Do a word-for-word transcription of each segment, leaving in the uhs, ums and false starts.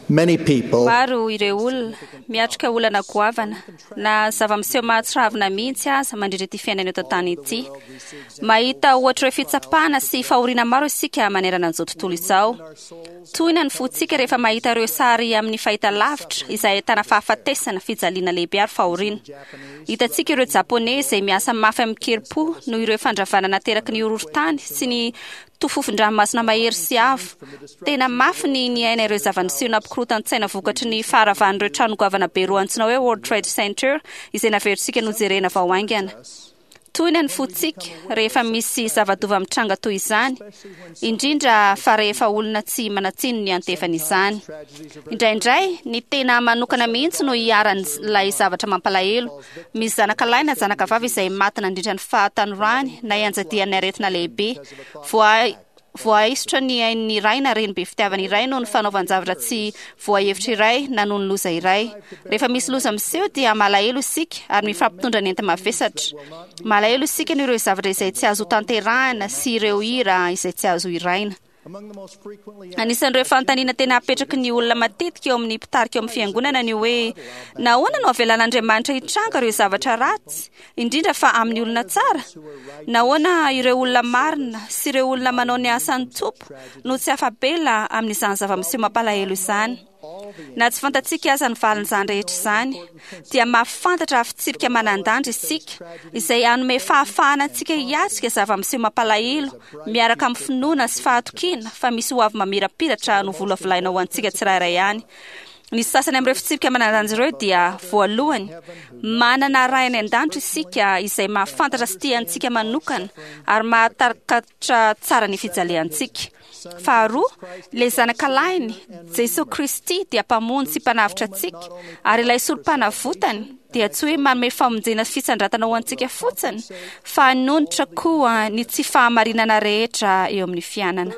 Many people Maro ireo olona miatrika olana goavana na zava-miseho mahatsiravina mihitsy aza mandritra ity fiainana eto an-tany ity. Mahita ohatra ireo fitsapana sy fahoriana maro isika manerana an'izao tontolo izao. Tohina ny fontsika rehefa mahita ireo sary amin'ny fahita lavitra izay ahitana fahafatesana, fijaliana lehibe ary fahoriana. Hitantsika ireo Japoney izay miasa mafy amin-kerim-po noho ireo fandravana nateraky ny horohorontany sy ny tofofon-dranomasina mahery sy avo. Tena mafy ny niaina ireo zava-niseho nampikorotan-tsaina vokatry ny faharavan'ireo trano goavana be roa antsoina hoe World Trade Center izay naverintsika nojerena vao haingana. Tohina ny fontsika rehefa misy zava-doza mitranga toy izany, indrindra fa rehefa olona tsy manan-tsiny ny antefan'izany. Indraindray, ny tena manokana mihitsy no iharan'ilay zavatra mampalahelo. Misy zanaka lahy na zanaka vavy izay maty nandritra ny fahatanorany na ianjadian'ny aretina lehibe. Voa voaisotra ny ain'ny ray na reny be fitiavana iray noho ny fanaovan-javatra tsy voahevitra iray na noho ny loza iray. Rehefa misy loza miseho dia malahelo isika ary mifampitondra ny enta-mavesatra. Malahelo isika noho ireo zavatra izay tsy azo tanterahana sy ireo hira izay tsy azo hiraina. among the most frequently Anisan'ireo fanontaniana tena apetraky ny olona matetika eo amin'ny mpitarika eo amin'ny fiangonana ny hoe nahoana no avelan'Andriamanitra hitranga ireo zavatra ratsy, indrindra fa amin'ny olona tsara? Nahoana ireo olona marina sy ireo olona manao ny asan'ny Tompo no tsy afa-bela amin'izany zava-miseho mampalahelo izany? Na tsy fantatsika aza ny valin'izany rehetra izany, dia mahafantatra fitsipika manan-danja isika izay hanome fahafahana antsika hiatrika zava-miseho mampalahelo miaraka amin'ny finoana sy fahatokiana fa misy ho avy mamirapiratra no volavolaina ho antsika tsirairay ihany. Ny sasany amin'ireo fitsipika manan-danja ireo dia voalohany, manana Ray any an-danitra isika izay mahafantatra sy tia antsika manokana ary mahatakatra tsara ny fijaliantsika. Faharoa, ilay zanaka lahiny, Jesosy Kristy, dia mpamonjy sy mpanavotra antsika, ary ilay sorom-panavotany dia tsy hoe manome famonjena sy fisandratana ho antsika fotsiny, fa hanonitra koa ny tsy fahamarinana rehetra eo amin'ny fiainana.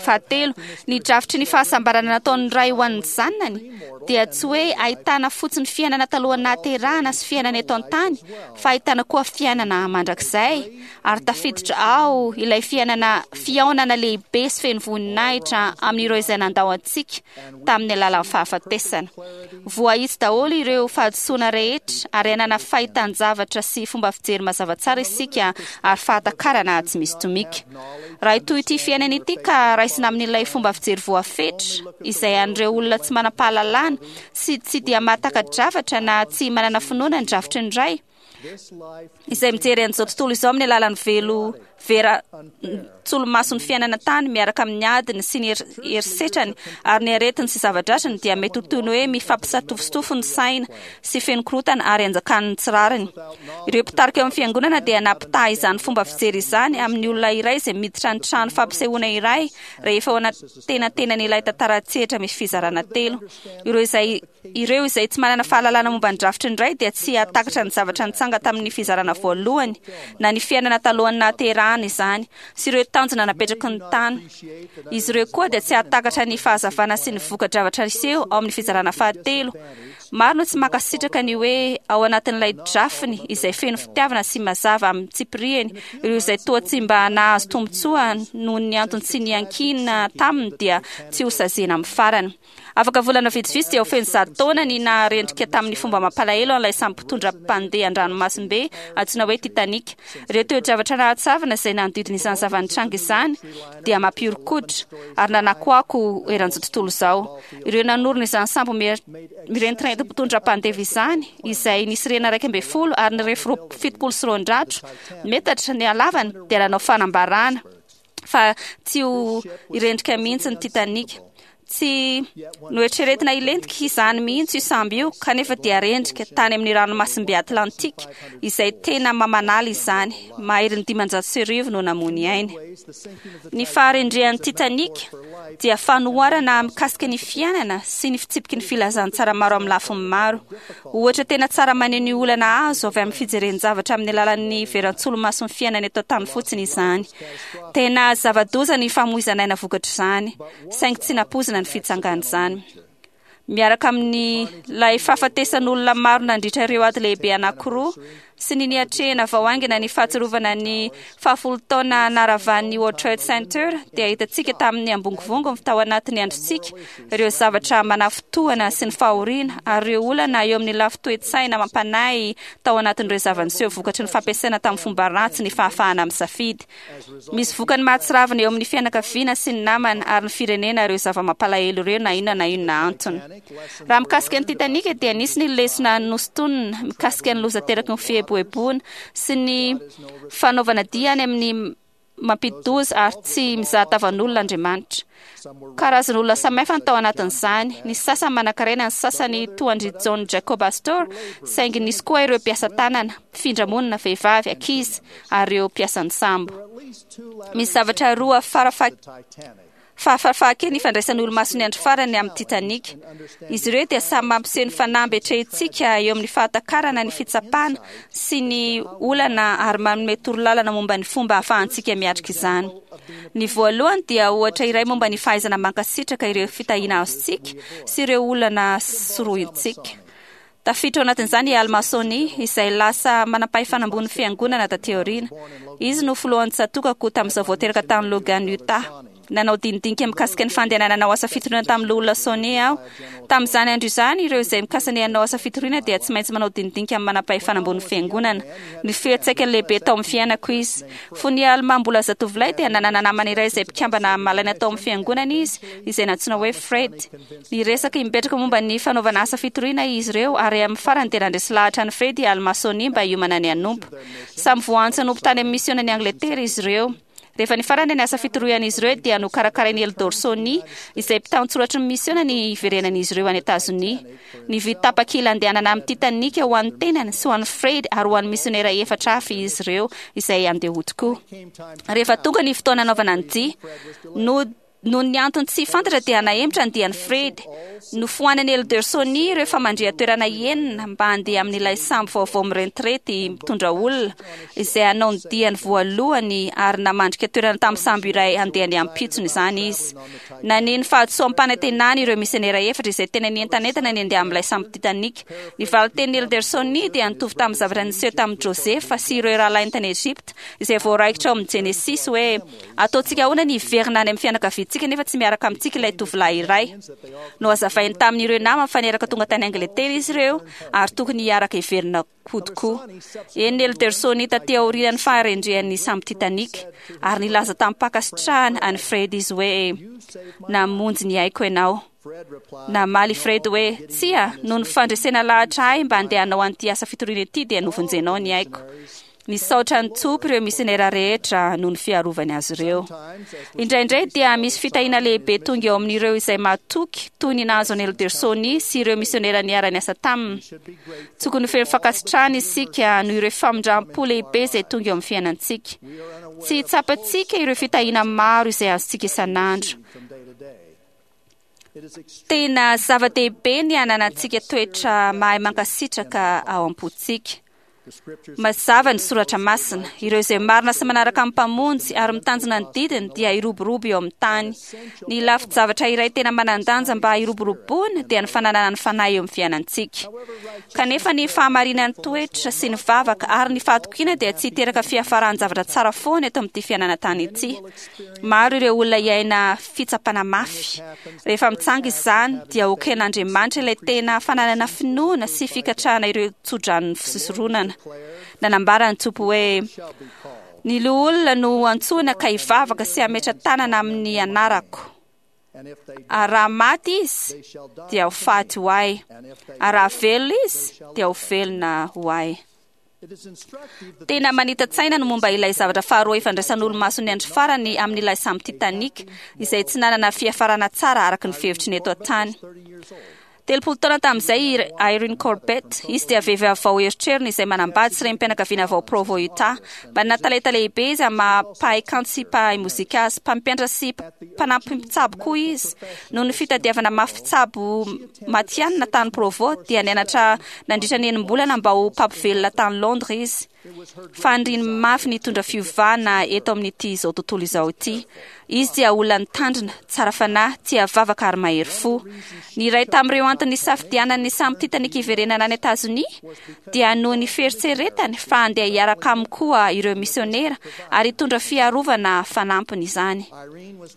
Fahatelo, ny drafitry ny fahasambarana nataon'ny Ray ho an'ny zanany dia tsy hoe ahitana fotsiny fiainana talohan'ny nahaterahana sy fiainana eto an-tany, fa ahitana koa fiainana mandrakizay, ary tafiditra ao ilay fiainana fihaonana lehibe sy feno voninahitra amin'ireo izay nandao antsika tamin'ny alalan'ny fahafatesana. Voahitsy daholo ireo fahadisoana rehetra ary hanana fahitan-javatra sy fomba fijery mazava tsara isika ary fahatakarana tsy misy tomika. Raha toy ity fiainana ity ka raisina amin'ilay fomba fijery voafetra izay an'ireo olona tsy manam-pahalalana sy tsy dia mahataka-javatra na tsy manana finoana ny drafitry ny Ray, this life izay mijery an'izao tontolo izao amin'ny alalan'ny velo vera tsolomason'ny fiainana tany miaraka amin'ny adiny sy ny her- herisetrany ary ny aretiny sy zava-dratriny dia mety ho toy ny hoe mifampisatofotofo ny saina sy feno korotana ary anjakan'ny tsy rariny. Ireo mpitarika eo amin'ny fiangonana dia nampitaha izany fomba fijery izany amin'ny olona iray izay miditra ny trano fampisehoana iray rehefa ao anatenatenan'ilay tantara an-tsehatra misy fizarana telo. Ireo izay ireo izay tsy manana fahalalana momba ny drafitry ny Ray dia tsy hahatakatra ny zavatra nitsanga tamin'ny fizarana voalohany na ny fiainana talohan'ny nahaterahana izany sy ireo tanjona napetraky ny tany. Izy ireo koa dia tsy hahatakatra ny fahazavana sy ny voka-javatra niseho ao amin'ny fizarana fahatelo. Maro no tsy mankasitraka ny hoe ao anatin'ilay drafiny izay feno fitiavana sy mazava amin'ny tsipiriany, ireo izay toa tsy mba nahazo tombontsoa noho ny antony tsy niankina taminy dia tsy ho saziana amin'ny farany. Afaka volana vitsivitsy dia ho feno zato taona ny naharendrika tamin'ny fomba mampalahelo an'ilay sambo mpitondra mpandeha an-dranomasimbe antsoina hoe Titanic. Ireo toe-javatra nahatsiravina izay nanodidina izany zava-nitranga izany dia mampihoron-koditra ary nanakoako eran'izao tontolo izao. Ireo nanorina izany sambo mir- mirentirenty mpitondra mpandeha izany, izay nisy rihana iraika ambin'ny folo ary nirefy roa- fitopolo sy roanjato metatra ny halavany, dia nanao fanambarana fa tsy ho irendrika mihitsy ny Titanic. Tsy noeritreretina hilentika izany mihitsy io sambo io, kanefa dia rendrika tany amin'ny ranomasimbe Atlantika izay tena mamanala izany. Maherin'ny dimanjato sy arivo no namoy ainy. Ny faharendrehan'ny Titanic dia fanoharana mikasika ny fiainana sy ny fitsipiky ny filazantsara maro amin'ny lafiny maro. Ohatra tena tsara maneho ny olana azo avy amin'ny fijeren-javatra amin'ny alalan'ny veran-tsolomason'ny fiainana eto an-tany fotsiny izany. Tena zava-doza ny famoizana aina vokatr'izany, saingy tsy nampoizina ny fitsangan'izany. Miaraka amin'ilay fahafatesan'olona maro nandritra ireo ady lehibe anankiroa sy ny niatrehana vao haingana ny fahatsiarovana ny fahafolo taona naravan'ny World Trade Center, dia hitantsika tamin'ny ambongovongo tao anatin'ny androntsika ireo zavatra manafintohina sy ny fahoriana ary ireo olana eo amin'ny lafin-toe-tsaina mampanahy tao anatin'ireo zava-niseho vokatry ny fampiasaina tamin'ny fomba ratsy ny fahafahana misafidy. Misy vokany mahatsiravina eo amin'ny fianakaviana sy ny namana ary ny firenena ireo zava-mampalahelo ireo na inona na inona antony. Raha mikasika ny Titanic dia nisy ny lesona nosintonina mikasika ny loza teraky ny fieboeboana sy ny fanaovana dia any amin'ny mampidi-doza ary tsy mizaha tavan'olona Andriamanitra. Karazan'olona samihafa ny tao anatin'izany, ny sasany manankarena, ny sasany toa an-dry John Jacob Astor, saingy nisy koa ireo mpiasa tanana, mpifindra-monina, vehivavy, ankizy ary ireo mpiasan'ny sambo. Misy zavatra roa farafa Fahafaha-kely ny fandraisan'ny olomason'ny andro farany amin'ny Titanic. Izy ireo dia samy mampiseho ny fanamby atrehintsika eo amin'ny fahatakarana ny fitsapana sy ny olana ary manome torolalana momba ny fomba ahafahantsika miatrika izany. Ny voalohany dia ohatra iray momba ny fahaizana mankasitraka ireo fitahiana azontsika sy ireo olana sorohintsika. Tafiditra ao anatin'izany i Alma Soni, izay lasa manam-pahefana ambony fiangonana taty aoriana. Izy no filohan'ny tsatòkako tamin'izao vao teraka tany Logan, Utah. Nanao dinidinika mikasika ny fandehanana hanao asa fitoriana tamin'ny loholona Soni aho. Tamin'izany andro izany, ireo izay mikasa ny hanao asa fitoriana dia tsy maintsy manao dinidinika amin'ny manam-pahefana ambony fiangonana. Ny fiantraikany lehibe tao amin'ny fiainako izy. Fony i Alma mbola zatovolahy dia nanana namana iray izay mpikambana malaina tao amin'ny fiangonana izy, izay nantsoina hoe Fred. Niresaka imbetraka momba ny fanaovana asa fitoriana izy ireo ary amin'ny farany dia nandresy lahatra an'i Fred i Alma Soni mba hiomana ny hanompo. Samy voaantso hanompo tany amin'ny misionan'i Angletera izy ireo. Rehefa nifarana ny asa fitorian'izy ireo dia nokarakarain'i Eldor Soni, izay mpitantsoratry ny misiona, ny hiverenan'izy ireo any Etazonia. Nividy tapakila handehanana amin'ny Titanic ho an'ny tenany sy ho an'i Fred ary ho an'ny misionera efatra hafa izy ireo izay handeha hody koa. Rehefa tonga ny fotoana hanaovana ny dia, no Noho ny antony tsy fantatra dia nahemotra ny dian'i Fred. Nofoanan'i Elder Soni ireo famandrihan-toerana enina mba handeha amin'ilay sambo vaovao mirentirety mitondra olona, izay hanao ny diany voalohany ary namandrika toerana tamin'ny sambo iray handeha ny ampitsony izany izy. Naneho ny fahadisoam-panantenany ireo misionera efatra izay tena nientanentana ny handeha amin'ilay sambo Titanic. Ny valin-tenin'i Elder Soni dia nitovy tamin'ny zavatra niseho tamin'i Josefa sy ireo rahalahiny tany Egypta, izay voaraikitra ao amin'ny Genesisy hoe, Ataontsika ahoana ny hiverina any amin'ny fianakaviantsika nefa tsy miaraka amintsika ilay tovolahy iray? Nohazavainy tamin'ireo namany fa niaraka tonga tany Angletera izy ireo ary tokony hiaraka hiverina hody koa. Henon'i Elder Soni taty aorian'ny faharendrehan'ny sambo Titanic, ary nilaza tamim-pankasitrahana an'i Fred izy hoe, Namonjy ny aiko ianao. Namaly i Fred hoe, Tsia, noho ny fandresena lahatra ahy mba handeha hanao an'ity asa fitoriana ity dia novonjenao ny aiko. Nisaotra ny Tompo ireo misionera rehetra noho ny fiarovany azy ireo. Indraindray dia misy fitahiana lehibe tonga eo amin'ireo izay mahatoky, toy ny nahazo an'i Elder Soni sy ireo misionera niara-niasa taminy. Tokony ho feno fankasitrahana isika noho ireo famindram-po lehibe izay tonga eo amin'ny fiainantsika. Tsy tsapantsika ireo fitahiana maro izay azontsika isan'andro. Tena zava-dehibe ny hananantsika toetra mahay mankasitraka ao am-pontsika. Mazava ny soratra masina. Ireo izay marina sy manaraka ny Mpamonjy ary mitanjona ny didiny dia hiroborobo eo amin'ny tany. Ny lafin-javatra iray tena manan-danja mba hiroboroboana dia ny fananana ny Fanahy eo amin'ny fiainantsika. Kanefa ny fahamarinan'ny toetra sy ny vavaka ary ny fahatokiana dia tsy hiteraka fiafaran-javatra tsara foana eto amin'ity fiainana tany ity. Maro ireo olona hiaina fitsapana mafy. Rehefa mitsanga izany, dia hoken'Andriamanitra ilay tena fananana finoana sy fikatrahana ireo tsodranon'ny fisoronana. Nanambara ny Tompo hoe, Ny loholona no antsoina ka hivavaka sy hametra tanana amin'ny anarako. Ary raha maty izy, dia ho faty ho ahy. Ary raha velona izy, dia ho velona ho ahy. Tena manita-tsaina ny momba ilay zavatra faharoa ifandraisan'olomason'ny andro farany amin'ilay sambo Titanic, izay tsy nanana fiafarana tsara araka ny fihevitry ny eto an-tany. Telopolo taona tamin'izay i Irene Corbett, izy dia vehivavy vao erotrerony izay manambady sy renim-pianakaviana vao Provo, Utah. Manana talenta lehibe izy amin'ny maha mpahay kanto sy mpahay mozika azy, mpampianatra sy mpanampy mpitsabo koa izy. Noho ny fitadiavana mafy mpitsabo matihanina tany Provo, dia nianatra nandritra ny enim-bolana mba ho mpampivelona tany Londres izy. Faniriany mafy ny hitondra fiovana eto amin'ity izao tontolo izao ity. Izy dia olona nitandrina, tsara fanahy, tia vavaka ary mahery fo. Ny iray tamin'ireo antony nisafidianany ny sambo Titanic hiverenana any Etazonia dia noho ny fieritreretany fa handeha hiaraka aminy koa ireo misionera ary hitondra fiarovana fanampiny izany.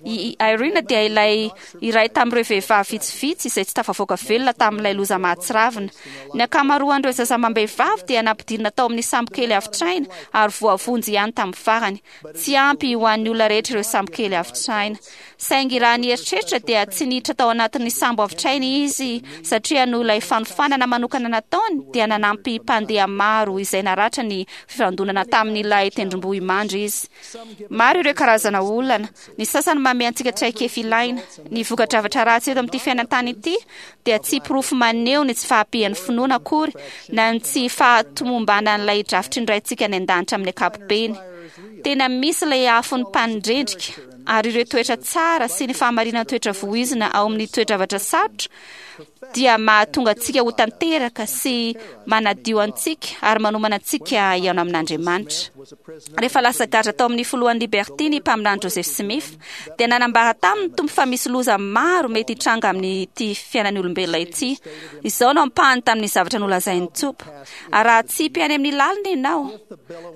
I Irene dia ilay iray tamin'ireo vehivavy vitsivitsy izay tsy tafavoaka velona tamin'ilay loza mahatsiravina. Ny ankamaroan'ireo zaza amam-behivavy dia nampidirina tao amin'ny sambo kely avotraina ary voavonjy ihany tamin'ny farany. Tsy ampy ho an'ny olona rehetra ireo sambo kely avotraina. Saingy raha ny eritreritra dia tsy niditra tao anatin'ny sambo avotraina izy satria noho ilay fanofanana manokana nataony dia nanampy mpandeha maro izay naratra ny fifandonana tamin'ilay tendrombohimandry izy. Maro ireo karazana olana. Ny sasany manome antsika traikefa ilaina. Ny voka-javatra ratsy eto amin'ity fiainan-tany ity dia tsy porofo maneho ny tsy fahampian'ny finoana akory na ny tsy fahatomombanan'ilay drafitry ny Raintsika any an-danitra amin'ny ankapobeny. Tena misy ilay afon'ny mpanendrendrika ary ireo toetra tsara sy ny fahamarinana toetra voizina ao amin'ny toe-javatra sarotra dia mahatonga antsika ho tanteraka sy manadio antsika ary manomana antsika hihaona amin'Andriamanitra. Rehefa lasa gadra tao amin'ny filohan'ny Liberty ny mpaminany Joseph Smith dia nanambara taminy Tompo fa misy loza maro mety hitranga amin'ity fiainan'ny olombelona ity. Izao no ampahany tamin'ny zavatra nolazain'ny Tompo: ary raha tsipy any amin'ny lalina ianao,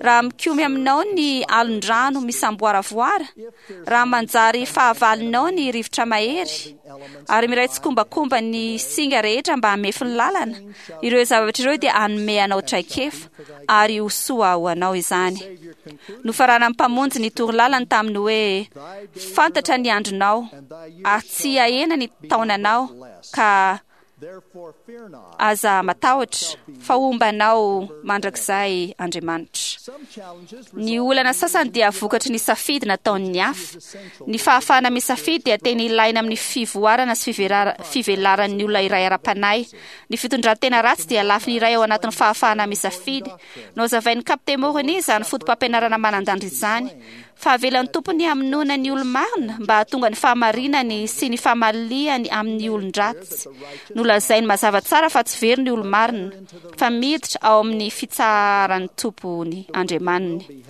raha mikomy aminao ny alon-drano misamboaravoara, raha manjary fahavalonao ny rivotra mahery ary miray tsikombakomba ny singa rehetra mba hamefy ny lalana, ireo zavatra ireo dia hanome anao traikefa ary ho soa ho anao izany. Nofaranan'ny Mpamonjy ny torolalany tamin'ny hoe: fantatra ny andronao ary tsy hahena ny taonanao, ka aza matahotra fa homba anao mandrakizay Andriamanitra. Ny olana sasany dia vokatry ny safidy nataon'ny hafa. Ny fahafahana misafidy dia tena ilaina amin'ny fivoarana sy fivelaran'ny olona iray ara-panahy. Ny fitondran-tena ratsy dia lafiny iray ao anatin'ny fahafahana misafidy. Nohazavain'ny Kapiteny Moroni izany foto-pampianarana manan-danja izany. Fa avelan'ny Tompony hamonoana ny olo-marina mba hahatonga ny fahamarinany sy ny famaliany amin'ny olon-dratsy. Nolazainy mazava tsara fa tsy very ny olo-marina, fa miditra ao amin'ny fitsaharan'ny Tompony Andriamaniny.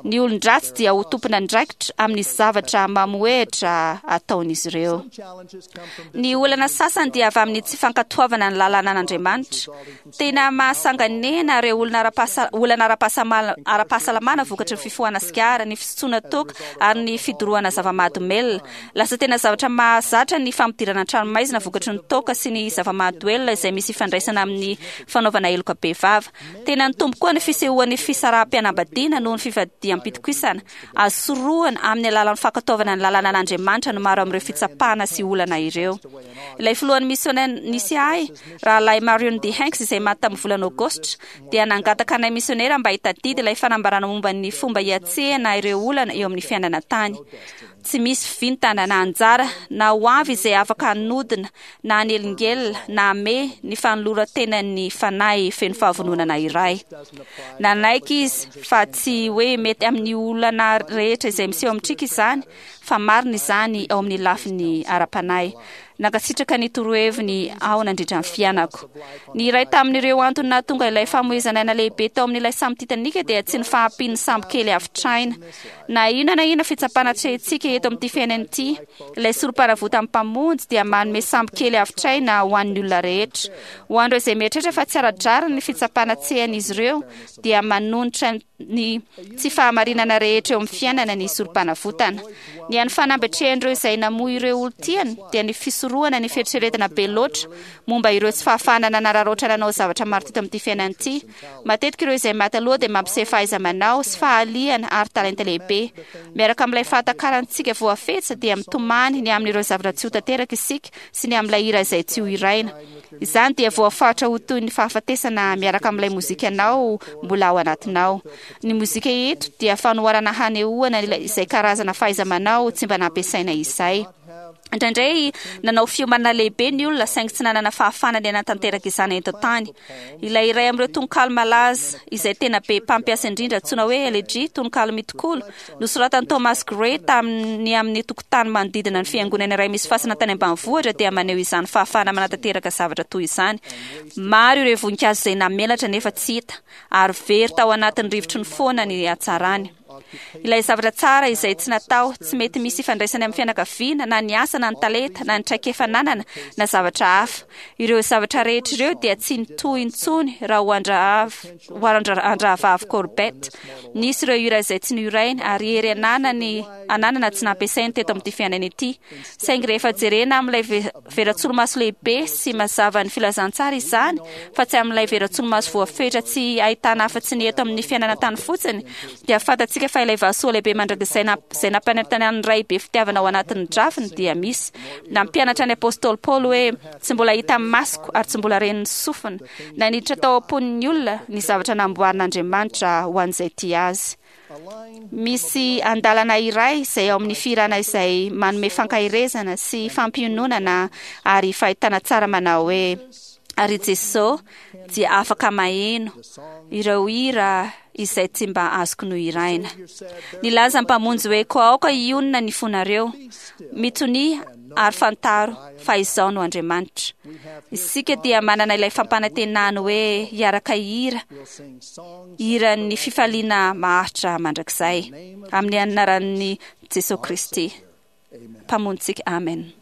Ny olon-dratsy dia ho tompon'andraikitra amin'ny zavatra mamohehitra ataon'izy ireo. Ny olana sasany dia avy amin'ny tsy fankatoavana ny lalànan'Andriamanitra. Tena mahasanganehana ireo olona olana ara-pahasalamana vokatry ny fifohana sigara, ny fisotroana toaka ary ny fidorohana zava-mahadomelina. Lasa tena zavatra mahazatra ny fampidirana an-tranomaizina vokatry ny toaka sy ny zava-mahadomelina izay misy ifandraisana amin'ny fanaovana heloka bevava. Tena nitombo koa ny fisehoan'ny fisaraham-pianambadiana noho ny fivadiham-pitokisana. Azo sorohana amin'ny alalan'ny fankatoavana ny lalànan'Andriamanitra no maro amin'ireo fitsapana sy olana ireo. Ilay filohan'ny misiona nisy ahy, rahalahy Marion D. Hanks, izay maty tamin'ny volana Aogositra, dia nangataka anay misionera mba hitadidy ilay fanambarana momba ny fomba hiatrehana ireo olana eo amin'ny fiainana tany. Tsy misy vintana na anjara na ho avy izay afaka hanodina na hanelingelina na hamehy ny fanoloran-tenan'ny fanahy feno fahavononana iray. Nanaiky izy fa tsy hoe mety amin'ny olana rehetra izay miseho amintsika izany, fa marina izany ao amin'ny lafiny ara-panahy. Nankasitraka ny toroheviny aho nandritra ny fiainako. Ny iray tamin'ireo antony nahatonga ilay famoizana aina lehibe tao amin'ilay sambo Titanic dia tsy ny fahampian'ny sambo kely avotraina. Na inona na inona fitsapana atrehintsika eto amin'ity fiainana ity, ilay sorom-panavotan'ny Mpamonjy dia manome sambo kely avotraina ho an'ny olona rehetra. Ho an'ireo izay mieritreritra fa tsy ara-drariny ny fitsapana atrehan'izy ireo, dia manonitra ny tsy fahamarinana rehetra eo amin'ny fiainana ny sorom-panavotana. Ny an'ny fanamby atrehan'ireo izay namoy ireo olon-tiany dia ny fisorohana ny fieritreretana be loatra momba ireo tsy fahafahana nanararaotra nanao zavatra maro teto amin'ity fiainana ity. Matetika ireo izay maty aloha dia mampiseho fahaiza-manao sy fahaliana ary talenta lehibe. Miaraka amin'ilay fahatakarantsika voafetra dia mitomany ny amin'ireo zavatra tsy ho tanteraka isika sy ny amin'ilay hira izay tsy ho hiraina. Izany dia voafaritra ho toy ny fahafatesana miaraka amin'ilay mozikanao mbola ao anatinao. Ny mozika eto dia fanoharana hanehoana izay karazana fahaiza-manao tsy mba nampiasaina izay. Indraindray nanao fiomanana lehibe ny olona, saingy tsy nanana fahafahana ny hanatanteraka izany eto an-tany. Ilay iray amin'ireo tononkalo malaza izay tena be mpampiasa indrindra, antsoina hoe Elegy, tononkalo mitokolo, nosoratan'i Thomas Gray tamin'ny amin'ny tokotany manodidina ny fiangonana iray misy fasana tany ambanivohitra, dia maneho izany fahafahana manatanteraka zavatra toy izany. Maro ireo voninkazo izay namelatra nefa tsy hita, ary very tao anatin'ny rivotry ny foana ny hatsarany. Ilay zavatra tsara izay tsy natao, tsy mety misy ifandraisany amin'ny fianakaviana, na ny asa, na ny talenta, na ny traikefa ananana, na zavatra hafa. Ireo zavatra rehetra ireo dia tsy nitohy intsony raha ho an-drahavavy Corbett. Nisy ireo hira izay tsy nohirainy, ary hery ananany ananana tsy nampiasainy teto amin'ity fiainana ity. Saingy rehefa jerena amin'ilay veran-tsolomaso lehibe sy mazava ny filazantsara izany, fa tsy amin'ilay veran-tsolomaso voafetra tsy ahitana afa-tsy ny eto amin'ny fiainana tany fotsiny, dia fantatsika fa ilay vasoa lehibe mandrakizay izay nampanantenan'ny Ray be fitiavana ao anatin'ny drafiny dia misy. Nampianatra ny apôstôly Paoly hoe tsy mbola hita masoko ary tsy mbola ren'ny sofina na niditra tao am-pon'ny olona ny zavatra namboarin'Andriamanitra ho an'izay tia azy. Misy andalana iray izay ao amin'ny fihirana izay manome fankaherezana sy fampiononana ary fahitana tsara manao hoe: "Ary Jesosy dia afaka maheno ireo hira izay tsy mba azoko nohiraina." Nilaza ny Mpamonjy hoe: "Koa aoka hionona ny fonareo, mitonia ary fantaro fa izaho no Andriamanitra." Isika dia manana ilay fampanantenany hoe hiaraka hira hiran'ny fifaliana maharitra mandrakizay amin'ny anaran'ny Jesosy Kristy Mpamonjintsika. Amen.